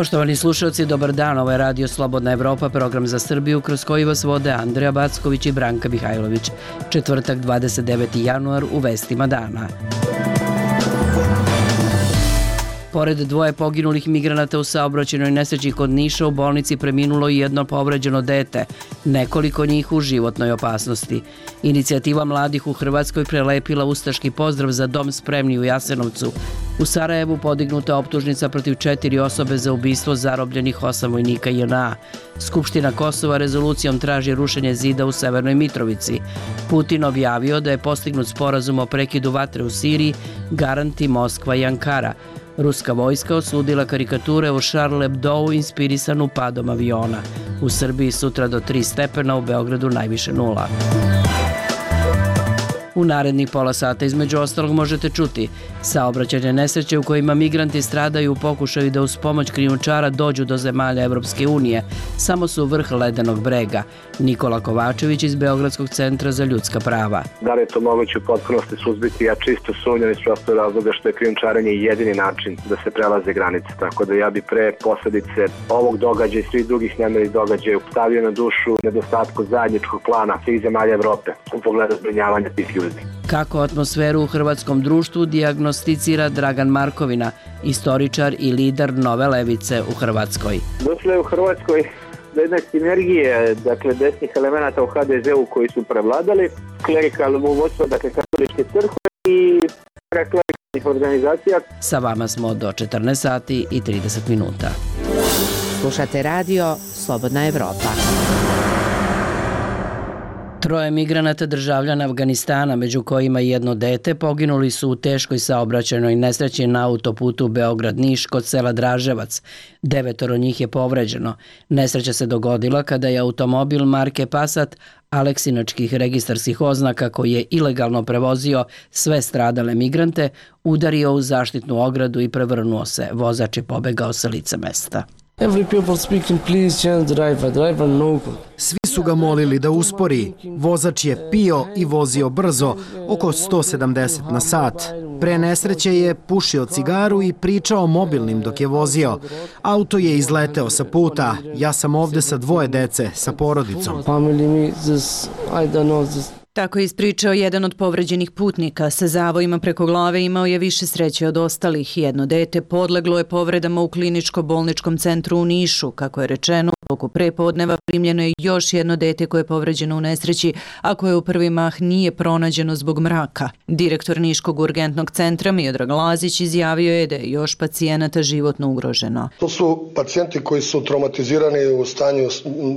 Poštovani slušalci, dobar dan. Ovo je Radio Slobodna Evropa, program za Srbiju kroz koji vas vode Andreja Backović i Branka Mihajlović. Četvrtak, 29. januar, u vestima dana. Pored dvoje poginulih migranata u saobraćajnoj nesreći kod Niša, u bolnici preminulo i jedno povređeno dete, nekoliko njih u životnoj opasnosti. Inicijativa mladih u Hrvatskoj prelepila ustaški pozdrav za dom spremni u Jasenovcu. U Sarajevu podignuta optužnica protiv 4 osobe za ubistvo zarobljenih 8 vojnika JNA. Skupština Kosova rezolucijom traži rušenje zida u Severnoj Mitrovici. Putin objavio da je postignut sporazum o prekidu vatre u Siriji, garanti Moskva i Ankara. Ruska vojska osudila karikature o Charlie Hebdou inspirisanu padom aviona. U Srbiji sutra do 3 stepena, u Beogradu najviše 0. U narednih pola sata između ostalog možete čuti saobraćajne nesreće u kojima migranti stradaju u pokušaju da uz pomoć krijumčara dođu do zemalja Evropske unije. Samo su vrh ledenog brega. Nikola Kovačević iz Beogradskog centra za ljudska prava. Da li je to moguće u potpunosti suzbiti? Ja čisto sumnjam iz prostog razloga što je krijumčarenje jedini način da se prelaze granice. Tako da ja bi pre posledice ovog događaja i svih drugih nemirnih događaja stavio na dušu nedostatku zajedničkog plana svih zemalja Evrope u pogledu zbrinjavanja tih ljudi. Kako atmosferu u hrvatskom društvu dijagnosticira Dragan Markovina, istoričar i lider Nove levice u Hrvatskoj. Došlo je u Hrvatskoj do jedne sinergije, dakle, desnih elemenata u HDZ-u koji su prevladali, klerikalnog vodstva, dakle, katoličke crkve i klerikalnih organizacija. Sa vama smo do 14 sati i 30 minuta. Slušate radio Slobodna Evropa. 3 migranata državljana Afganistana, među kojima i jedno dete, poginuli su u teškoj saobraćajnoj nesreći na autoputu Beograd-Niš kod sela Draževac. 9 njih je povređeno. Nesreća se dogodila kada je automobil marke Passat aleksinačkih registarskih oznaka koji je ilegalno prevozio sve stradale migrante udario u zaštitnu ogradu i prevrnuo se. Vozač je pobegao sa lica mesta. Svi su ga molili da uspori. Vozač je pio i vozio brzo, oko 170 na sat. Pre nesreće je pušio cigaru i pričao mobilnim dok je vozio. Auto je izleteo sa puta. Ja sam ovde sa 2 dece, sa porodicom. Tako je ispričao jedan od povređenih putnika. Sa zavojima preko glave imao je više sreće od ostalih. Jedno dete podleglo je povredama u kliničko-bolničkom centru u Nišu. Kako je rečeno, u toku prepodneva primljeno je još jedno dete koje je povređeno u nesreći, a koje u prvi mah nije pronađeno zbog mraka. Direktor Niškog urgentnog centra Miodrag Lazić izjavio je da je još pacijenata životno ugroženo. To su pacijenti koji su traumatizirani u stanju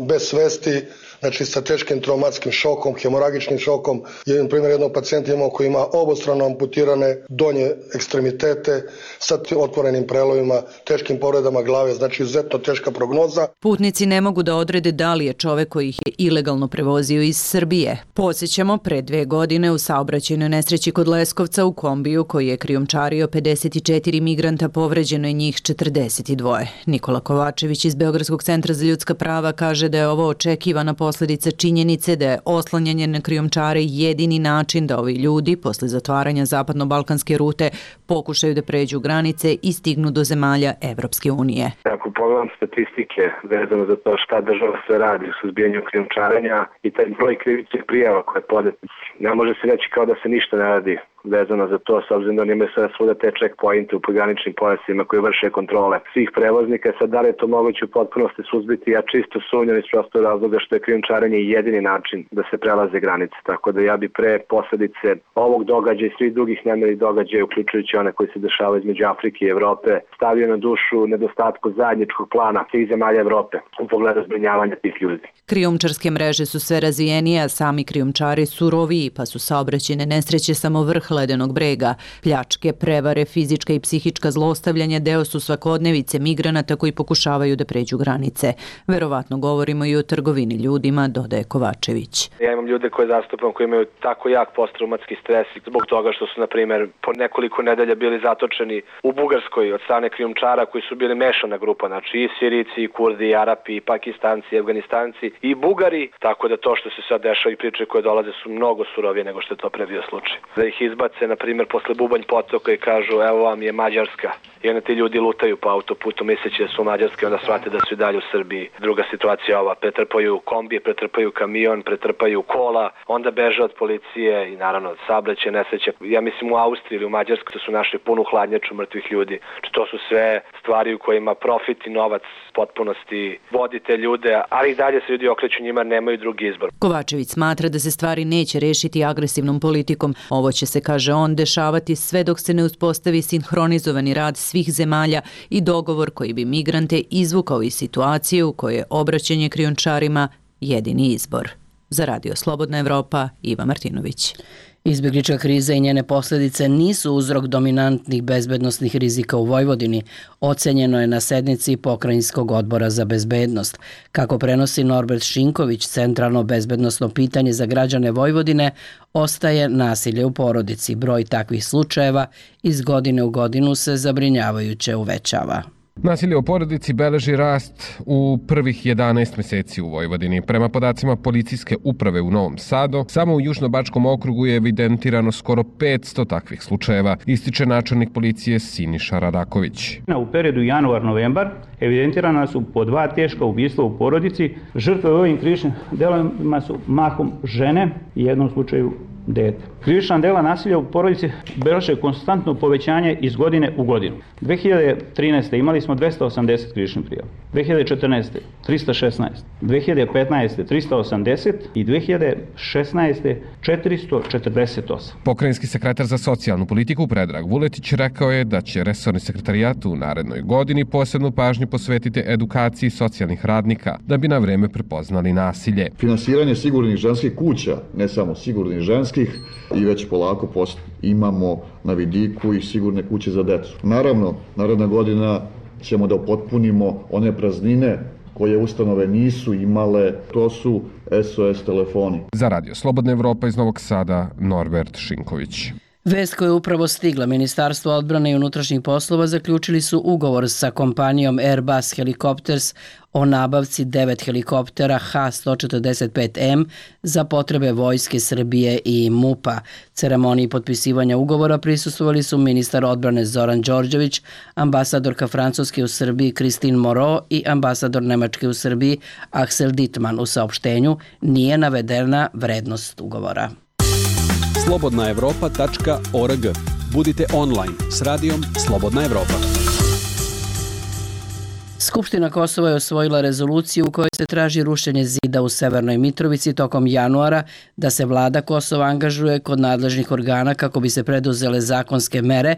bez svesti, znači sa teškim traumatskim šokom, hemoragičnim šokom. Jedan primjer jednog pacijenta imao koji ima obostrano amputirane donje ekstremitete sa otvorenim prelovima, teškim povredama glave, znači izuzetno teška prognoza. Putnici ne mogu da odrede da li je čovek koji ih je ilegalno prevozio iz Srbije. Podsjećamo, pre 2 godine u saobraćajnoj nesreći kod Leskovca u kombiju koji je krijumčario 54 migranta, povređeno je njih 42. Nikola Kovačević iz Beogradskog centra za ljudska prava kaže da je ovo očekivana posledica činjenice da je oslanjanje na krijumčare jedini način da ovi ljudi, posle zatvaranja zapadno-balkanske rute, pokušaju da pređu granice i stignu do zemalja Evropske unije. Ako pogledam statistike vezano za to šta država sve radi u suzbijanju krijumčarenja i taj broj krivičnih prijava koje je podat, ne može se reći kao da se ništa ne radi vezano za to, s obzirom da oni imaju sada svuda te checkpointe u pograničnim pojasima koji vrše kontrole svih prevoznika. Sad, da li je to moguće u potpunosti suzbiti? Ja čisto sumnjam iz prostog razloga što je krijumčarenje jedini način da se prelaze granice. Tako da ja bi pre posledice ovog događaja i svih drugih nemirnih događaja, uključujući one koji se dešavaju između Afrike i Evrope, stavio na dušu nedostatku zajedničkog plana svih zemalja Evrope u pogledu zbrinjavanja tih ljudi. Krijumčarske mreže su sve razvijenije, a sami krijumčari suroviji, pa su saobraćajne nesreće samo vrh ledenog brega. Pljačke, prevare, fizička i psihička zlostavljanja deo su svakodnevice migranata koji pokušavaju da pređu granice. Verovatno govorimo i o trgovini ljudima, dodaje Kovačević. Ja imam ljude koje zastupam koji imaju tako jak posttraumatski stres zbog toga što su, na primjer, po nekoliko nedelja bili zatočeni u Bugarskoj od strane krijumčara koji su bili mešana grupa, znači i Sirici, i Kurdi, i Arapi, i Pakistanci, i Afganistanci, i Bugari, tako da to što se sad dešava i priče koje dolaze su mnogo surovije nego što je to pre bio slučaj. Da ih izbaci ubace, na primjer, posle Bubanj potoka i kažu evo vam je Mađarska. I onda ti ljudi lutaju po autoputu misleći da su Mađarske, onda shvate da su i dalje u Srbiji. Druga situacija ova, pretrpaju kombije, pretrpaju kamion, pretrpaju kola, onda beže od policije i naravno saobraćaj nesreće. Ja mislim u Austriji ili u Mađarskoj su našli punu hladnjaču mrtvih ljudi. To su sve stvari u kojima profit i novac potpunosti vodi te ljude, ali i dalje se ljudi okreću njima, nemaju drugi izbor. Kovačević smatra da se stvari neće rešiti agresivnom politikom. Ovo će se, kaže on, dešavati sve dok se ne uspostavi sinhronizovani rad svih zemalja i dogovor koji bi migrante izvukao iz situacije u kojoj je obraćanje krijumčarima jedini izbor. Za Radio Slobodna Evropa, Iva Martinović. Izbjeglička kriza i njene posljedice nisu uzrok dominantnih bezbednosnih rizika u Vojvodini, ocenjeno je na sednici Pokrajinskog odbora za bezbednost. Kako prenosi Norbert Šinković, centralno bezbednosno pitanje za građane Vojvodine ostaje nasilje u porodici. Broj takvih slučajeva iz godine u godinu se zabrinjavajuće uvećava. Nasilje u porodici beleži rast u prvih 11 meseci u Vojvodini. Prema podacima policijske uprave u Novom Sadu, samo u Južnobačkom okrugu je evidentirano skoro 500 takvih slučajeva, ističe načelnik policije Siniša Radaković. U periodu januar-novembar evidentirana su po 2 teška ubistva u porodici. Žrtve u ovim krivičnim delovima su mahom žene i u jednom slučaju dete. Krivična dela nasilja u porodici beleže konstantno povećanje iz godine u godinu. 2013. imali smo 280 krivičnih prijava, 2014. 316, 2015. 380 i 2016. 448. Pokrajinski sekretar za socijalnu politiku Predrag Vuletić rekao je da će resorni sekretarijat u narednoj godini posebnu pažnju posvetiti edukaciji socijalnih radnika da bi na vreme prepoznali nasilje. Finansiranje sigurnih ženskih kuća, ne samo sigurnih ženskih, i već polako imamo na vidiku i sigurne kuće za decu. Naravno, naredna godina ćemo da upotpunimo one praznine koje ustanove nisu imale, to su SOS telefoni. Za Radio Slobodna Evropa iz Novog Sada, Norbert Šinković. Vest koja je upravo stigla, Ministarstvo odbrane i unutrašnjih poslova zaključili su ugovor sa kompanijom Airbus Helicopters o nabavci 9 helikoptera H-145M za potrebe Vojske Srbije i MUP-a. Ceremoniji potpisivanja ugovora prisustvovali su ministar odbrane Zoran Đorđević, ambasadorka Francuske u Srbiji Christine Moreau i ambasador Nemačke u Srbiji Axel Dittmann. U saopštenju nije navedena vrednost ugovora. slobodnaevropa.org. Budite online s radijom Slobodna Evropa. Skupština Kosova je osvojila rezoluciju u kojoj se traži rušenje zida u Severnoj Mitrovici tokom januara, da se vlada Kosova angažuje kod nadležnih organa kako bi se preduzele zakonske mere,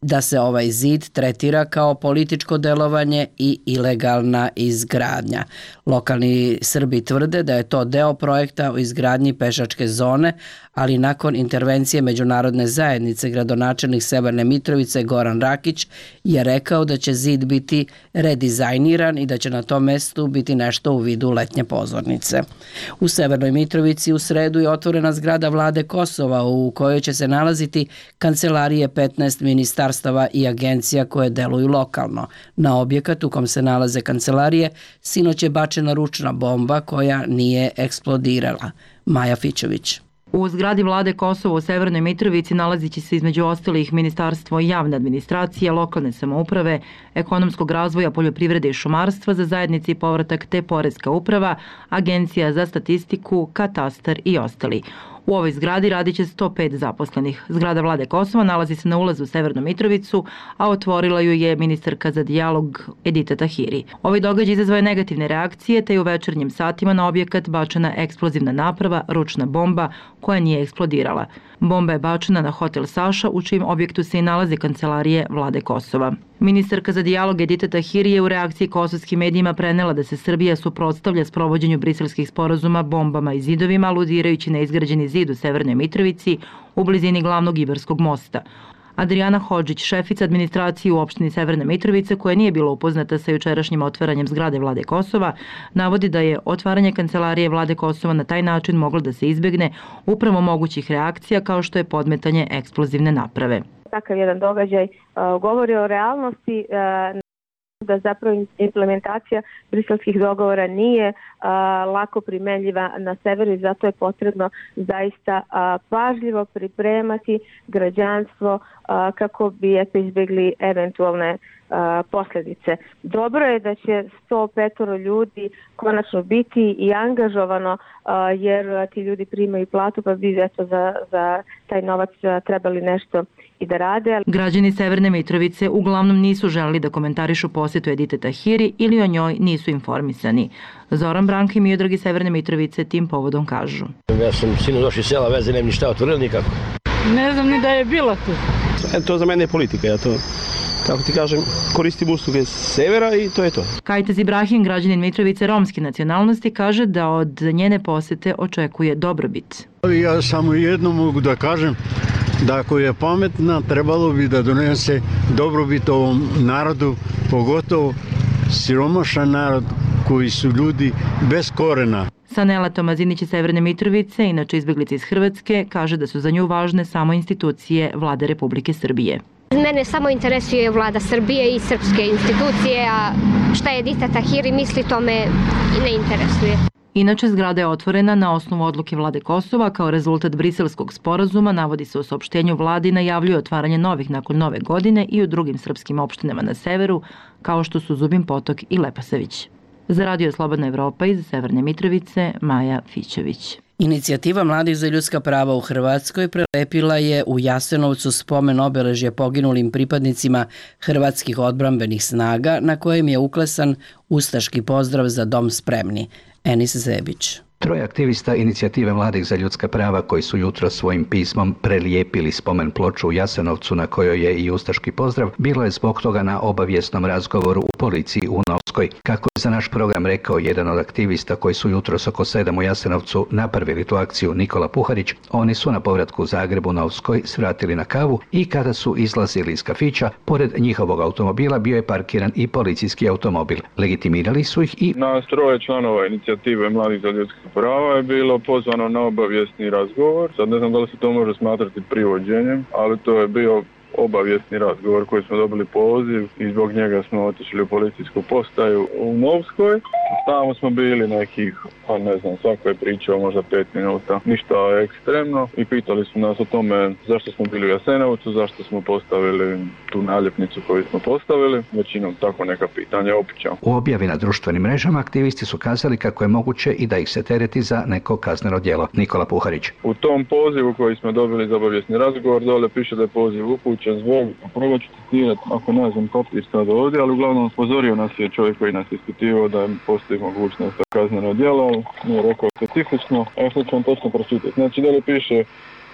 da se ovaj zid tretira kao političko delovanje i ilegalna izgradnja. Lokalni Srbi tvrde da je to deo projekta o izgradnji pešačke zone, ali nakon intervencije međunarodne zajednice gradonačelnik Severne Mitrovice Goran Rakić je rekao da će zid biti redizajniran i da će na tom mestu biti nešto u vidu letnje pozornice. U Severnoj Mitrovici u sredu je otvorena zgrada vlade Kosova u kojoj će se nalaziti kancelarije 15 ministarstava i agencija koje deluju lokalno. Na objekat u kom se nalaze kancelarije sinoć je bačena ručna bomba koja nije eksplodirala. Maja Fićović. U zgradi vlade Kosova u Severnoj Mitrovici nalazit će se između ostalih Ministarstvo javne administracije, lokalne samouprave, ekonomskog razvoja, poljoprivrede i šumarstva za zajednici i povratak te Poreska uprava, Agencija za statistiku, katastar i ostali. U ovoj zgradi radit će 105 zaposlenih. Zgrada vlade Kosova nalazi se na ulazu u Severnu Mitrovicu, a otvorila ju je ministarka za dijalog Edita Tahiri. Ovaj događaj izazvao je negativne reakcije, te je u večernjim satima na objekat bačena eksplozivna naprava, ručna bomba, koja nije eksplodirala. Bomba je bačena na hotel Saša, u čijem objektu se i nalaze kancelarije vlade Kosova. Ministarka za dijalog Edita Tahiri je u reakciji kosovskim medijima prenela da se Srbija suprotstavlja sprovođenju briselskih sporazuma bombama i zidovima, aludirajući na izgrađeni zid u Severnoj Mitrovici u blizini glavnog Ibarskog mosta. Adriana Hodžić, šefica administracije u opštini Severna Mitrovica, koja nije bila upoznata sa jučerašnjim otvaranjem zgrade vlade Kosova, navodi da je otvaranje kancelarije vlade Kosova na taj način moglo da se izbegne upravo mogućih reakcija kao što je podmetanje eksplozivne naprave. Takav jedan događaj govori o realnosti da zapravo implementacija briselskih dogovora nije lako primenljiva na severu i zato je potrebno zaista pažljivo pripremati građanstvo kako bi izbjegli eventualne posljedice. Dobro je da će 105 ljudi konačno biti i angažovano jer ti ljudi primaju platu pa bi za taj novac trebali nešto i da rade. Građani Severne Mitrovice uglavnom nisu želeli da komentarišu posjetu Edite Tahiri ili o njoj nisu informisani. Zoran Branko i Miodrag iz Severne Mitrovice tim povodom kažu. Ja sam sinu došli iz sela, veze nem ništa otvorili nikako. Ne znam ni da je bila tu. To za mene je politika, ja to, kako ti kažem, koristim usluge severa i to je to. Kajtaz Ibrahim, građanin Mitrovice romske nacionalnosti, kaže da od njene posjete očekuje dobrobit. Ja samo jedno mogu da kažem, da ako je pametna, trebalo bi da donese dobrobit ovom narodu, pogotovo siromašan narod koji su ljudi bez korena. Sanela Tomazinić iz Severne Mitrovice, inače izbjeglica iz Hrvatske, kaže da su za nju važne samo institucije Vlade Republike Srbije. Mene samo interesuje Vlada Srbije i srpske institucije, a šta je Edita Tahiri misli, to me ne interesuje. Inače, zgrada je otvorena na osnovu odluke Vlade Kosova kao rezultat briselskog sporazuma, navodi se u saopštenju vladi i najavljuje otvaranje novih nakon nove godine i u drugim srpskim opštinama na severu, kao što su Zubin Potok i Leposavić. Za Radio Slobodna Evropa iz Severne Mitrovice, Maja Fićević. Inicijativa Mladih za ljudska prava u Hrvatskoj prelepila je u Jasenovcu spomen obeležje poginulim pripadnicima hrvatskih odbrambenih snaga, na kojem je uklesan ustaški pozdrav za dom spremni. Enis Zebić. Troje aktivista Inicijative Mladih za ljudska prava koji su jutro svojim pismom prelijepili spomen ploču u Jasenovcu na kojoj je i ustaški pozdrav, bilo je zbog toga na obavijesnom razgovoru u policiji u Novskoj. Kako je za naš program rekao jedan od aktivista koji su jutros oko 7 u Jasenovcu napravili tu akciju, Nikola Puharić, oni su na povratku u Zagrebu Novskoj svratili na kavu i kada su izlazili iz kafića, pored njihovog automobila bio je parkiran i policijski automobil. Legitimirali su ih i... Nas troje članova Inicijative Mladih za ljudska prava je bilo pozvano na obavijesni razgovor. Sad ne znam da li se to može smatrati privođenjem, ali to je bio obavijesni razgovor koji smo dobili poziv i zbog njega smo otišli u policijsku postaju u Novskoj. Tamo smo bili nekih, ne znam, svako je pričao možda 5 minuta, ništa ekstremno i pitali su nas o tome zašto smo bili u Jasenovcu, zašto smo postavili tu naljepnicu koju smo postavili, većinom tako neka pitanja opiča. U objavi na društvenim mrežama aktivisti su kazali kako je moguće i da ih se tereti za neko kazneno djelo. Nikola Puharić. U tom pozivu koji smo dobili za obavijesni razgovor dole piše da je poziv upućen zbog, prvo ću citirati, ako ne znam papir sad ovdje, ali uglavnom upozorio nas je čovjek koji nas je ispitivao da postoji mogućnost za kazneno djelo, nije rekao specifično, a sad ću vam točno pročitati. Znači dole piše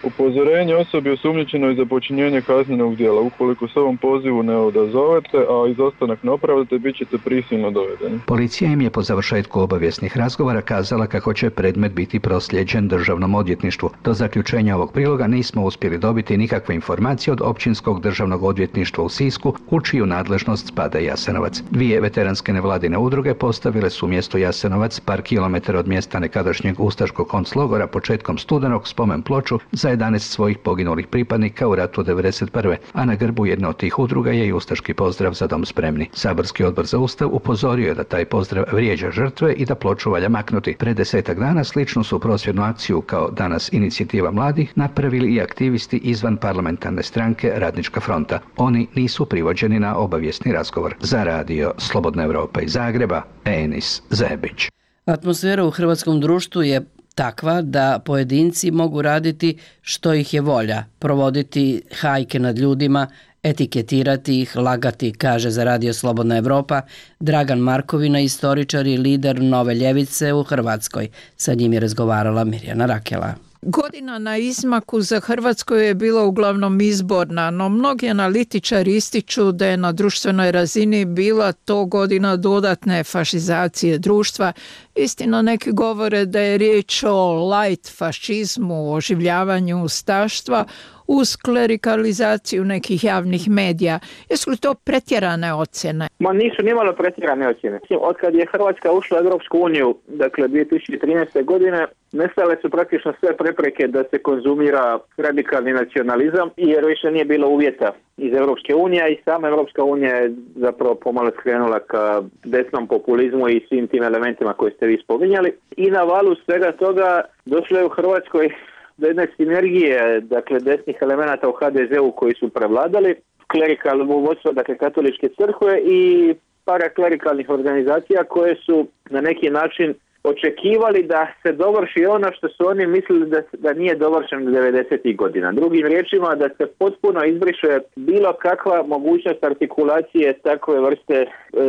upozorenje osobi osumnjičenoj za počinjenje kaznenog djela. Ukoliko se ovom pozivu ne odazovete, a izostanak ne opravdate, bit ćete prisilno dovedeni. Policija im je po završetku obavijesnih razgovora kazala kako će predmet biti proslijeđen državnom odvjetništvu. Do zaključenja ovog priloga nismo uspjeli dobiti nikakve informacije od Općinskog državnog odvjetništva u Sisku, u čiju nadležnost spada Jasenovac. Dvije veteranske nevladine udruge postavile su mjesto Jasenovac par kilometara od mjesta nekadašnjeg ustaškog konclogora početkom studenog spomen ploču za 11 svojih poginulih pripadnika u ratu 1991. a na grbu jedne od tih udruga je i ustaški pozdrav za dom spremni. Saborski odbor za ustav upozorio je da taj pozdrav vrijeđa žrtve i da ploču valja maknuti. Pred 10 dana sličnu su prosvjednu akciju kao danas Inicijativa mladih napravili i aktivisti izvan parlamentarne stranke Radnička fronta. Oni nisu privođeni na obavijesni razgovor. Za Radio Slobodna Evropa iz Zagreba, Enis Zebić. Atmosfera u hrvatskom društvu je takva da pojedinci mogu raditi što ih je volja, provoditi hajke nad ljudima, etiketirati ih, lagati, kaže za Radio Slobodna Evropa Dragan Markovina, istoričar i lider Nove ljevice u Hrvatskoj. Sa njim je razgovarala Mirjana Rakela. Godina na izmaku za Hrvatsku je bila uglavnom izborna, no mnogi analitičari ističu da je na društvenoj razini bila to godina dodatne fašizacije društva. Istina, neki govore da je riječ o light fašizmu, oživljavanju ustaštva. uz klerikalizaciju nekih javnih medija. Jesu li to pretjerane ocjene? Ma nisu nimalo pretjerane ocjene. Od kad je Hrvatska ušla u Europsku uniju, dakle 2013. godine, nestale su praktično sve prepreke da se konzumira radikalni nacionalizam, jer više nije bilo uvjeta iz Europske unije i sama Europska unija je zapravo pomalo skrenula ka desnom populizmu i svim tim elementima koje ste vi spominjali. I na valu svega toga došlo je u Hrvatskoj do jedne sinergije, dakle desnih elemenata u HDZ-u koji su prevladali, klerikalno vodstvo, dakle katoličke crkve i paraklerikalnih organizacija koje su na neki način očekivali da se dovrši ono što su oni mislili da nije dovršeno 90. godina. Drugim riječima, da se potpuno izbriše bilo kakva mogućnost artikulacije takve vrste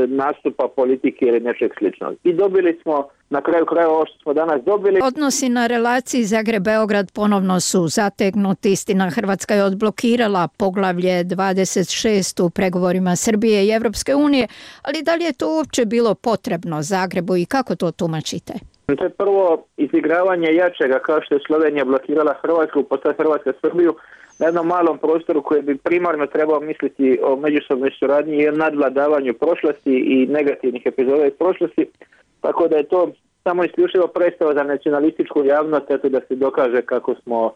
nastupa politike ili nečeg sličnog. I dobili smo na kraju krajeva ovo što smo danas dobili. Odnosi na relaciji Zagreb-Beograd ponovno su zategnuti. Istina, Hrvatska je odblokirala poglavlje 26 u pregovorima Srbije i Evropske unije, ali da li je to uopće bilo potrebno Zagrebu i kako to tumačite? To je prvo izigravanje jačega, kao što je Slovenija blokirala Hrvatsku, pa sad Hrvatska Srbiju, na jednom malom prostoru koji bi primarno trebao misliti o međusobnoj suradnji i o nadvladavanju prošlosti i negativnih epizoda iz prošlosti. Tako da je to samo isključivo predstava za nacionalističku javnost, eto da se dokaže kako smo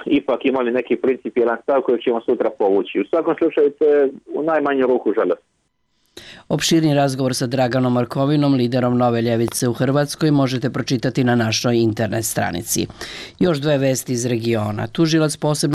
ipak imali neki principijelan stav koji ćemo sutra povući. U svakom slučaju to je u najmanju ruku žalost. Opširni razgovor sa Draganom Markovinom, liderom Nove ljevice u Hrvatskoj, možete pročitati na našoj internet stranici. Još dve vesti iz regiona. Tužilac posebno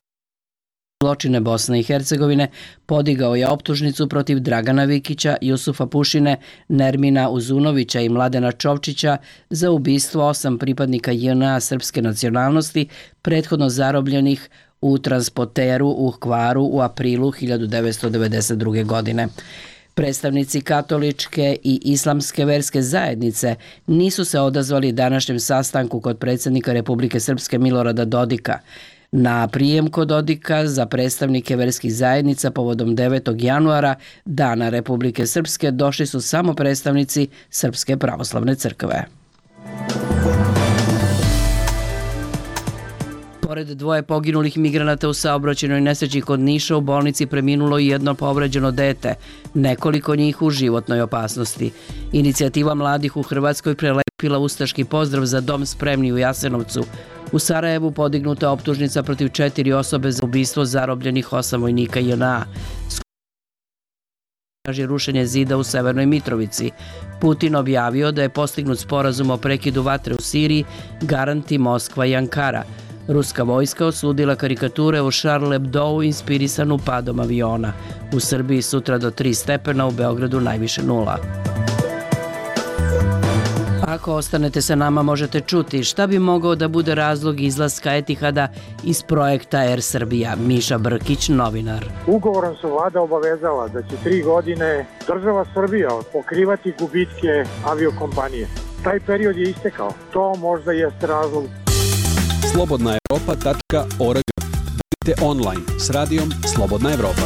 zločine Bosne i Hercegovine podigao je optužnicu protiv Dragana Vikića, Jusufa Pušine, Nermina Uzunovića i Mladena Čovčića za ubistvo 8 pripadnika JNA srpske nacionalnosti prethodno zarobljenih u transporteru u Hvaru u aprilu 1992. godine. Predstavnici katoličke i islamske verske zajednice nisu se odazvali današnjem sastanku kod predsjednika Republike Srpske Milorada Dodika. Na prijem kod Dodika za predstavnike verskih zajednica povodom 9. januara, Dana Republike Srpske, došli su samo predstavnici Srpske pravoslavne crkve. Pored dvoje poginulih migranata u saobraćajnoj nesreći kod Niša, u bolnici preminulo i jedno povređeno dete, nekoliko njih u životnoj opasnosti. Inicijativa mladih u Hrvatskoj prelepila ustaški pozdrav za dom spremni u Jasenovcu. U Sarajevu podignuta optužnica protiv 4 osobe za ubistvo zarobljenih 8 vojnika JNA. Traži rušenje zida u Severnoj Mitrovici. Putin objavio da je postignut sporazum o prekidu vatre u Siriji, garanti Moskva i Ankara. Ruska vojska osudila karikature u Charlie Hebdou inspirisanu padom aviona. U Srbiji sutra do 3 stepena, u Beogradu najviše 0. Ako ostanete sa nama, možete čuti šta bi mogao da bude razlog izlaska Etihada iz projekta Air Srbija. Miša Brkić, novinar. Ugovorom se vlada obavezala da će 3 godine država Srbija pokrivati gubitke aviokompanije. Taj period je istekao. To možda jeste razlog. Slobodnaevropa.org. Budite online s radijom Slobodna Evropa.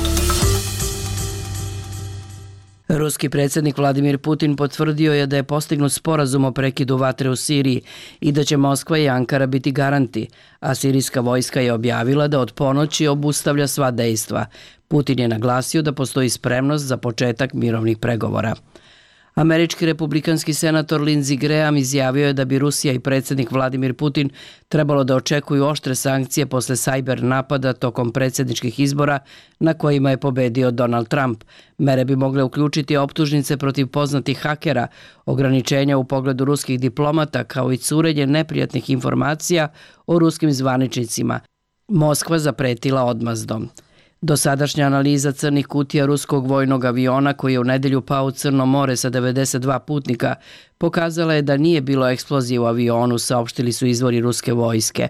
Ruski predsjednik Vladimir Putin potvrdio je da je postignut sporazum o prekidu vatre u Siriji i da će Moskva i Ankara biti garanti, a sirijska vojska je objavila da od ponoći obustavlja sva dejstva. Putin je naglasio da postoji spremnost za početak mirovnih pregovora. Američki republikanski senator Lindsey Graham izjavio je da bi Rusija i predsjednik Vladimir Putin trebalo da očekuju oštre sankcije posle sajber napada tokom predsjedničkih izbora na kojima je pobedio Donald Trump. Mere bi mogle uključiti optužnice protiv poznatih hakera, ograničenja u pogledu ruskih diplomata kao i curenje neprijatnih informacija o ruskim zvaničnicima. Moskva zapretila odmazdom. Dosadašnja analiza crnih kutija ruskog vojnog aviona koji je u nedelju pao u Crno more sa 92 putnika pokazala je da nije bilo eksplozije u avionu, saopštili su izvori ruske vojske.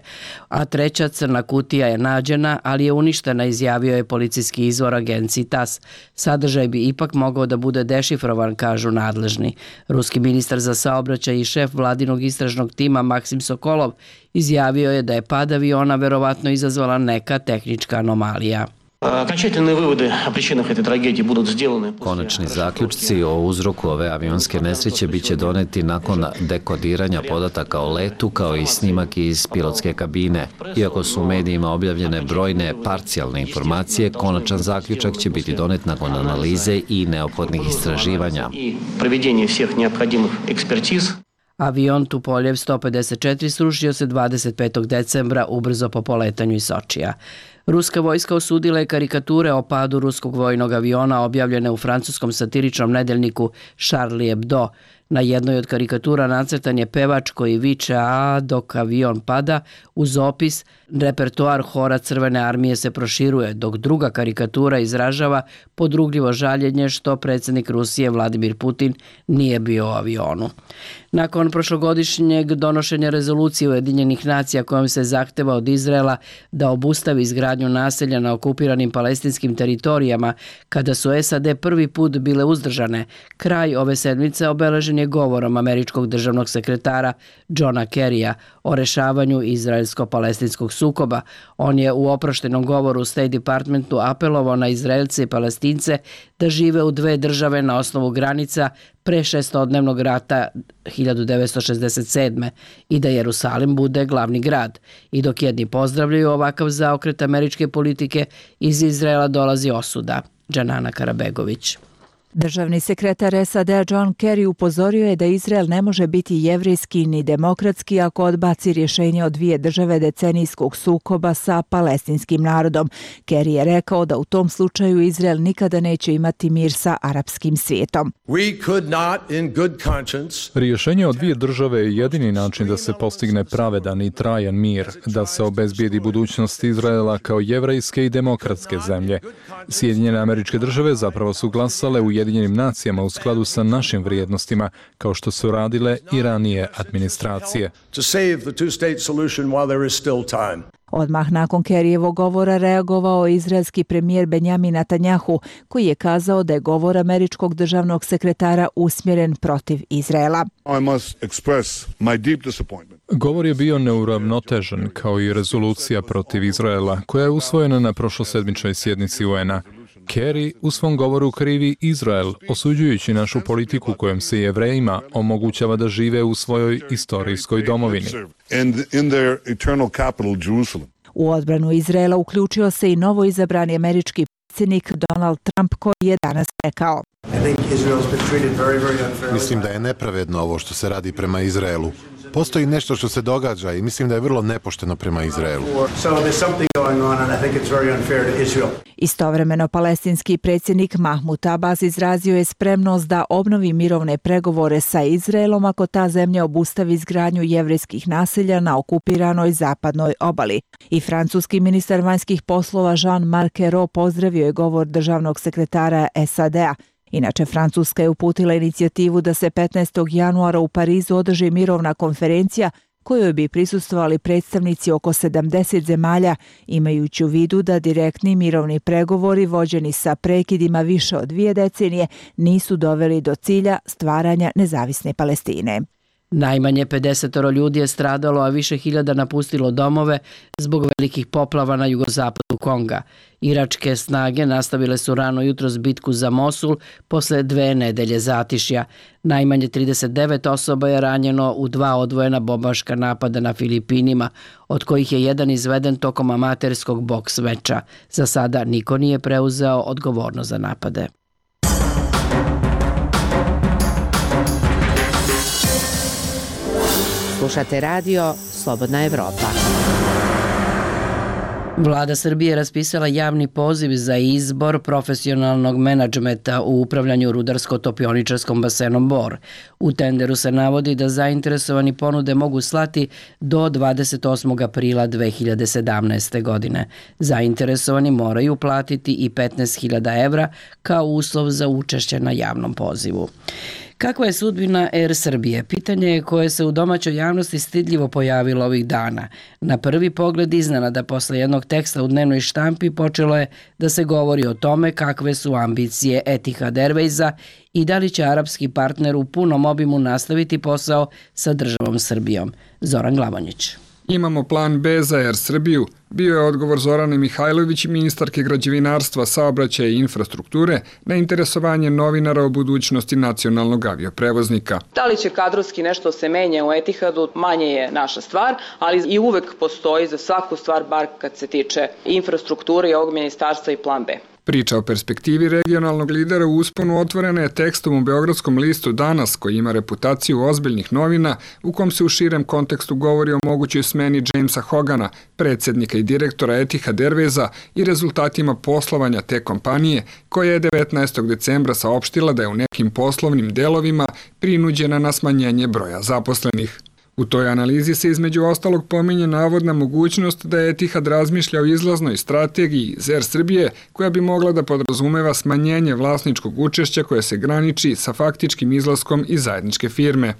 A treća crna kutija je nađena, ali je uništena, izjavio je policijski izvor agenciji TASS. Sadržaj bi ipak mogao da bude dešifrovan, kažu nadležni. Ruski ministar za saobraćaj i šef vladinog istražnog tima Maksim Sokolov izjavio je da je pad aviona verovatno izazvala neka tehnička anomalija. Konačni zaključci o uzroku ove avionske nesreće biće doneti nakon dekodiranja podataka o letu kao i snimak iz pilotske kabine. Iako su u medijima objavljene brojne parcijalne informacije, konačan zaključak će biti donet nakon analize i neophodnih istraživanja. Avion Tupoljev 154 srušio se 25. decembra ubrzo po poletanju iz Sočija. Ruska vojska osudila je karikature o padu ruskog vojnog aviona objavljene u francuskom satiričnom nedeljniku Charlie Hebdo. Na jednoj od karikatura nacrtan je pevač koji viče a dok avion pada uz opis repertoar hora Crvene armije se proširuje, dok druga karikatura izražava podrugljivo žaljenje što predsjednik Rusije Vladimir Putin nije bio u avionu. Nakon prošlogodišnjeg donošenja rezolucije Ujedinjenih nacija kojom se zahteva od Izraela da obustavi izgradnju naselja na okupiranim palestinskim teritorijama, kada su SAD prvi put bile uzdržane, kraj ove sedmice obeležen je govorom američkog državnog sekretara Johna Kerrya o rešavanju izraelsko-palestinskog sukoba. On je u oproštenom govoru u State Departmentu apelovao na Izraelce i Palestince da žive u dve države na osnovu granica pre šestodnevnog rata 1967. i da Jerusalim bude glavni grad. I dok jedni pozdravljaju ovakav zaokret američke politike, iz Izraela dolazi osuda. Džanana Karabegović. Državni sekretar SAD John Kerry upozorio je da Izrael ne može biti jevrejski ni demokratski ako odbaci rješenje od dvije države decenijskog sukoba sa palestinskim narodom. Kerry je rekao da u tom slučaju Izrael nikada neće imati mir sa arapskim svijetom. Rješenje od dvije države je jedini način da se postigne pravedan i trajan mir, da se obezbijedi budućnost Izraela kao jevrejske i demokratske zemlje. Sjedinjene Američke Države zapravo su glasale u Ujedinjenim nacijama u skladu sa našim vrijednostima, kao što su radile i ranije administracije. Odmah nakon Kerryjevog govora reagovao izraelski premijer Benjamin Netanjahu, koji je kazao da je govor američkog državnog sekretara usmjeren protiv Izraela. Govor je bio neuravnotežen, kao i rezolucija protiv Izraela, koja je usvojena na prošlosedmičnoj sjednici UN-a. Kerry u svom govoru krivi Izrael, osuđujući našu politiku kojom se Jevrejima omogućava da žive u svojoj istorijskoj domovini. U odbranu Izraela uključio se i novo izabrani američki predsjednik Donald Trump, koji je danas rekao: Mislim da je nepravedno ovo što se radi prema Izraelu. Postoji nešto što se događa i mislim da je vrlo nepošteno prema Izraelu. Istovremeno, palestinski predsjednik Mahmud Abbas izrazio je spremnost da obnovi mirovne pregovore sa Izraelom ako ta zemlja obustavi izgradnju jevrejskih naselja na okupiranoj zapadnoj obali. I francuski ministar vanjskih poslova Jean-Marc Ayrault pozdravio je govor državnog sekretara SAD-a. Inače, Francuska je uputila inicijativu da se 15. januara u Parizu održi mirovna konferencija kojoj bi prisustvovali predstavnici oko 70 zemalja, imajući u vidu da direktni mirovni pregovori vođeni sa prekidima više od 2 decenije nisu doveli do cilja stvaranja nezavisne Palestine. Najmanje 50 ljudi je stradalo, a više hiljada napustilo domove zbog velikih poplava na jugozapadu Konga. Iračke snage nastavile su rano jutros bitku za Mosul posle 2 nedelje zatišja. Najmanje 39 osoba je ranjeno u 2 odvojena bombaška napada na Filipinima, od kojih je jedan izveden tokom amaterskog boks meča. Za sada niko nije preuzeo odgovornost za napade. Slušate radio Slobodna Evropa. Vlada Srbije raspisala javni poziv za izbor profesionalnog menadžmenta u upravljanju rudarsko-topioničarskom basenom Bor. U tenderu se navodi da zainteresovani ponude mogu slati do 28. aprila 2017. godine. Zainteresovani moraju platiti i 15.000 evra kao uslov za učešće na javnom pozivu. Kakva je sudbina Air Srbije? Pitanje je koje se u domaćoj javnosti stidljivo pojavilo ovih dana. Na prvi pogled iznenada posle jednog teksta u dnevnoj štampi počelo je da se govori o tome kakve su ambicije Etihad Airwaysa i da li će arapski partner u punom obimu nastaviti posao sa državom Srbijom. Zoran Glavonjić. Imamo plan B za Air Srbiju, bio je odgovor Zorane Mihajlović, ministarke građevinarstva, saobraćaja i infrastrukture, na interesovanje novinara o budućnosti nacionalnog avioprevoznika. Da li će kadrovski nešto se menja u Etihadu, manje je naša stvar, ali i uvek postoji za svaku stvar, bar kad se tiče infrastrukture i ovog ministarstva, i plan B. Priča o perspektivi regionalnog lidera u usponu otvorena je tekstom u beogradskom listu Danas, koji ima reputaciju ozbiljnih novina, u kom se u širem kontekstu govori o mogućoj smeni Jamesa Hogana, predsjednika i direktora Etihad Airwaysa, i rezultatima poslovanja te kompanije, koja je 19. decembra saopštila da je u nekim poslovnim delovima prinuđena na smanjenje broja zaposlenih. U toj analizi se između ostalog pominje navodna mogućnost da Etihad razmišlja o izlaznoj strategiji iz Air Srbije, koja bi mogla da podrazumeva smanjenje vlasničkog učešća koje se graniči sa faktičkim izlaskom iz zajedničke firme.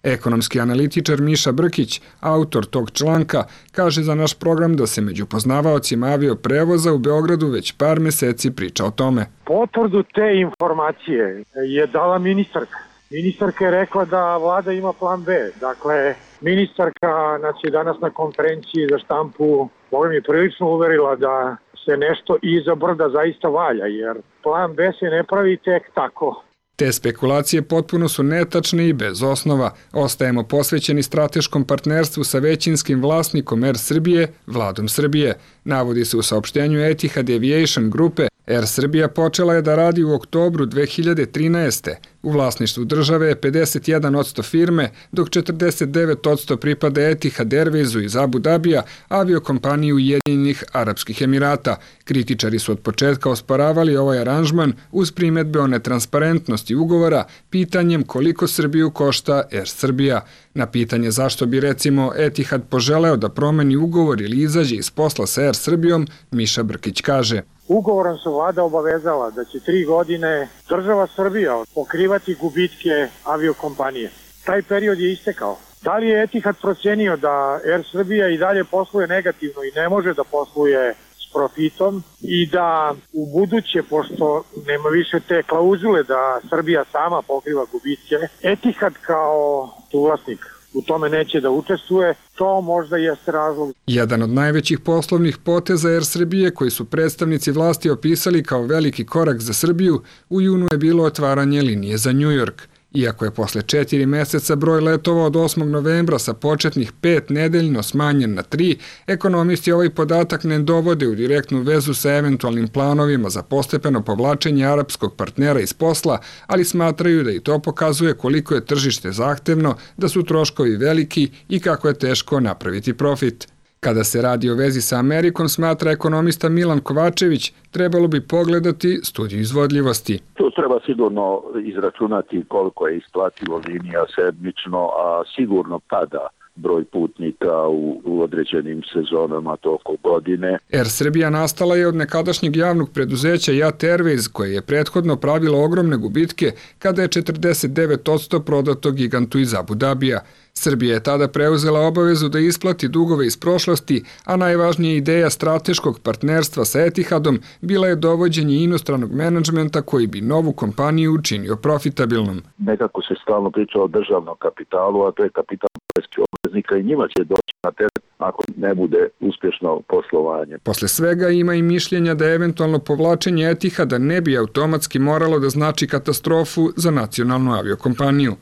Ekonomski analitičar Miša Brkić, autor tog članka, kaže za naš program da se među poznavaocima avioprevoza u Beogradu već par meseci priča o tome. Potvrdu te informacije je dala ministarka. Ministarka je rekla da vlada ima plan B. Dakle, ministarka nas je danas na konferenciji za štampu mi prilično uverila da se nešto iza brda zaista valja, jer plan B se ne pravi tek tako. Te spekulacije potpuno su netačne i bez osnova. Ostajemo posvećeni strateškom partnerstvu sa većinskim vlasnikom Air Srbije, Vladom Srbije. Navodi se u saopštenju Etihad Aviation grupe. Air Srbija počela je da radi u oktobru 2013. U vlasništvu države je 51% firme, dok 49% pripada Etihad Airwaysu iz Abu Dabija, aviokompaniji Ujedinjenih Arapskih Emirata. Kritičari su od početka osporavali ovaj aranžman uz primedbe o netransparentnosti ugovora, pitanjem koliko Srbiju košta Air Srbija. Na pitanje zašto bi recimo Etihad poželeo da promeni ugovor ili izađe iz posla sa Air Srbijom, Miša Brkić kaže: Ugovorom se vlada obavezala da će 3 godine država Srbija pokrivati gubitke aviokompanije. Taj period je istekao. Da li je Etihad procenio da Air Srbija i dalje posluje negativno i ne može da posluje s profitom i da u buduće, pošto nema više te klauzule da Srbija sama pokriva gubitke, Etihad kao suvlasnik u tome neće da učestvuje, to možda jeste razlog. Jedan od najvećih poslovnih poteza Air Srbije, koji su predstavnici vlasti opisali kao veliki korak za Srbiju, u junu je bilo otvaranje linije za New York. Iako je posle 4 meseca broj letova od 8. novembra sa početnih 5 nedeljno smanjen na 3, ekonomisti ovaj podatak ne dovode u direktnu vezu sa eventualnim planovima za postepeno povlačenje arapskog partnera iz posla, ali smatraju da i to pokazuje koliko je tržište zahtevno, da su troškovi veliki i kako je teško napraviti profit. Kada se radi o vezi sa Amerikom, smatra ekonomista Milan Kovačević, trebalo bi pogledati studiju izvodljivosti. To treba sigurno izračunati koliko je isplativo linija sedmično, a sigurno pada broj putnika u određenim sezonama tokom godine. Air Srbija nastala je od nekadašnjeg javnog preduzeća JAT Airways, koje je prethodno pravilo ogromne gubitke kada je 49% prodato gigantu iz Abu Dabija. Srbija je tada preuzela obavezu da isplati dugove iz prošlosti, a najvažnija ideja strateškog partnerstva sa Etihadom bila je dovođenje inostranog menadžmenta koji bi novu kompaniju učinio profitabilnom. Nekako se stalno priča o državnom kapitalu, a to je kapital poreskih obveznika i njima će doći na teret ako ne bude uspješno poslovanje. Posle svega ima i mišljenja da eventualno povlačenje Etihada ne bi automatski moralo da znači katastrofu za nacionalnu aviokompaniju.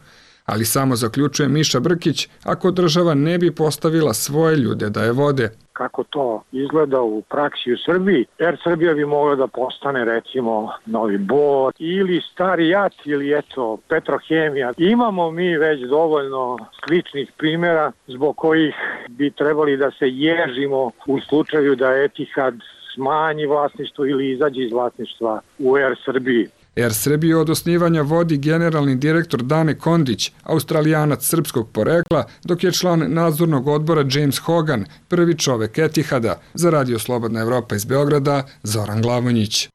Ali samo zaključuje Miša Brkić, ako država ne bi postavila svoje ljude da je vode. Kako to izgleda u praksi u Srbiji, Air Srbija bi mogla da postane recimo Novi Bor ili Stari JAT ili eto Petrohemija. Imamo mi već dovoljno sličnih primjera zbog kojih bi trebali da se ježimo u slučaju da Etihad smanji vlasništvo ili izađe iz vlasništva u Air Srbiji. Air Srbiju od osnivanja vodi generalni direktor Dane Kondić, Australijanac srpskog porekla, dok je član nadzornog odbora James Hogan, prvi čovek Etihada. Za Radio Slobodna Evropa iz Beograda, Zoran Glavonjić.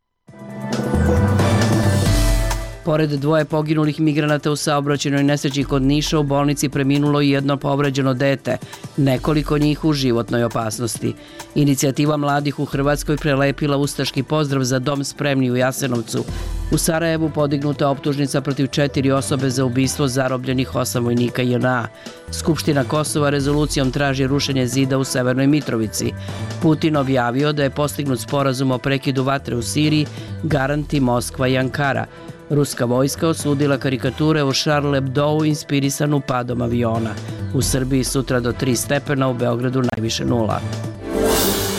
Pored dvoje poginulih migranata u saobraćajnoj nesreći kod Niša, u bolnici preminulo i jedno povređeno dete, nekoliko njih u životnoj opasnosti. Inicijativa mladih u Hrvatskoj prelepila ustaški pozdrav za dom spremni u Jasenovcu. U Sarajevu podignuta optužnica protiv 4 osobe za ubistvo zarobljenih 8 vojnika JNA. Skupština Kosova rezolucijom traži rušenje zida u Severnoj Mitrovici. Putin objavio da je postignut sporazum o prekidu vatre u Siriji, garanti Moskva i Ankara. Ruska vojska osudila karikature o Charlie Hebdou inspirisanu padom aviona. U Srbiji sutra do 3 stepena, u Beogradu najviše 0.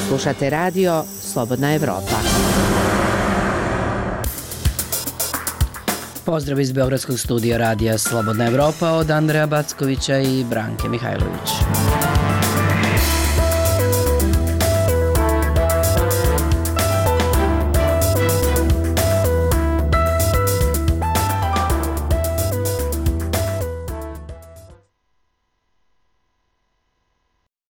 Slušate radio Slobodna Evropa. Pozdrav iz Beogradskog studija radija Slobodna Evropa od Andreja Backovića i Branke Mihajlović.